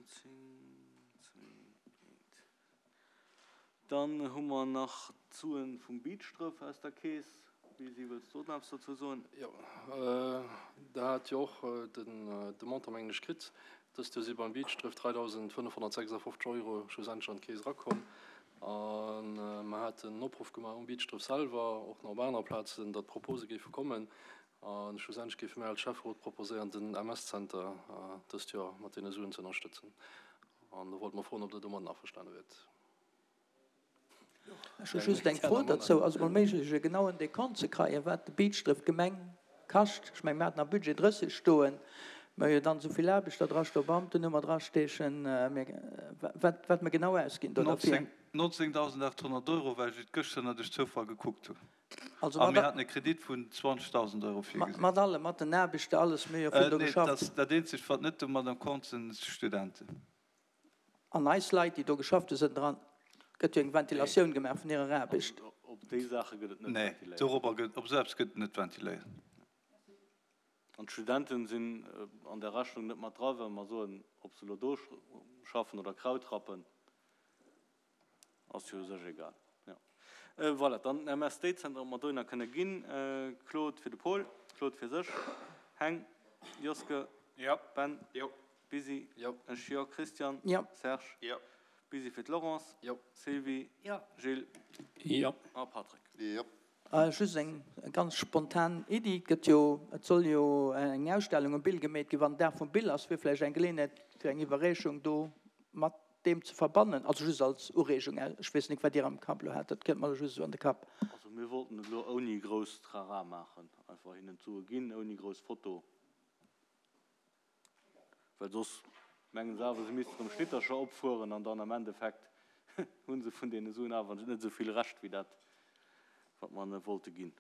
10, 2, 1. Dann hu mer nach d'Suen vum Beachdref aus der Keess. Lisi, wëlls du och nach eppes dozou soen? Jo, Der hat jo och de Montant, mengen ech, kritt. Dëst Joer si beim Beachdref 3.556 Euro schlussendlech an d'Keess erakomm. A mer haten en Opruff gemaach um Beachdref selwer, och nach op aner Plazen, datt Propose géife kommen. A schlussendlech géife mir als Schäfferot proposéieren, den MS-Zenter dëst Joer mat deene Suen ze ënnerstëtzen. An do wollte mer froen, ob Der domadden averstane wiert. Ech hu just eng Fro derzou. Ass et mol méiglech, e genauen Dekont ze kreien, wat de Beachdref d'Gemeng kascht? Ech mengen, mir haten am Budget 30 stoen, mä jo dann esou vill Aarbechter drastoen, Beamten hu mer drasteechen, wat, wat mer genau ausginn do derfir. 19.800 Euro, well ech et gëschter duerch Zoufall gekuckt hunn. Also A mir haten e Kredit vun 20.000 Euro virgesinn. Mat allem, mat den Aarbechter, alles, mir hu jo vill do geschafft. Nee, dat eenzegt, wat net domat am Kont sinn, d'Studenten. An eis Leit, déi do geschafft hu sënn dran. Gëtt jo eng Ventilatioun gemaach vun hirer Aarbecht. Op déi Saache gëtt et net ventiléiert. Nee, dorobber gëtt, op esou eppes gëtt net ventiléiert. An d'Studenten sinn an der Rechnung net mat dra, well mer soen, ob se elo do schaffen oder Kraut rappen, ass jo u sech egal. Jo. Voilà, dann den MSD-Zenter, ob mer dohinner kënne ginn. Claude fir de Paul, Claude fir sech, Heng, Joske, Ben. Busy, Ech jo, Christian, Serge, Busy fir d'Laurence, Sylvie, Gilles a Patrick. Just eng ganz spontan Iddi, Et gëtt jo, et soll jo eng Ausstellung um Bill gemeet ginn. Wann den Dag vum Bill ass, wier vläicht eng Geleeënheet fir eng Iwwerreechung do mat deem ze verbannen. Also just als Ureegung, ech weess net wat Dir am Kapp elo hat, dat kënnt mer elo just esou an de Kapp. Also mir wollten et elo ouni grouss Trara maachen, einfach hinnen d'Sue ginn, ouni grouss Foto. Well soss mengen se awer, se missten erëm Schnittercher opfueren an dann am Endeffekt hu se vun deene Suen awer net esou vill Rescht wéi dat, wat mer hinne wollte ginn.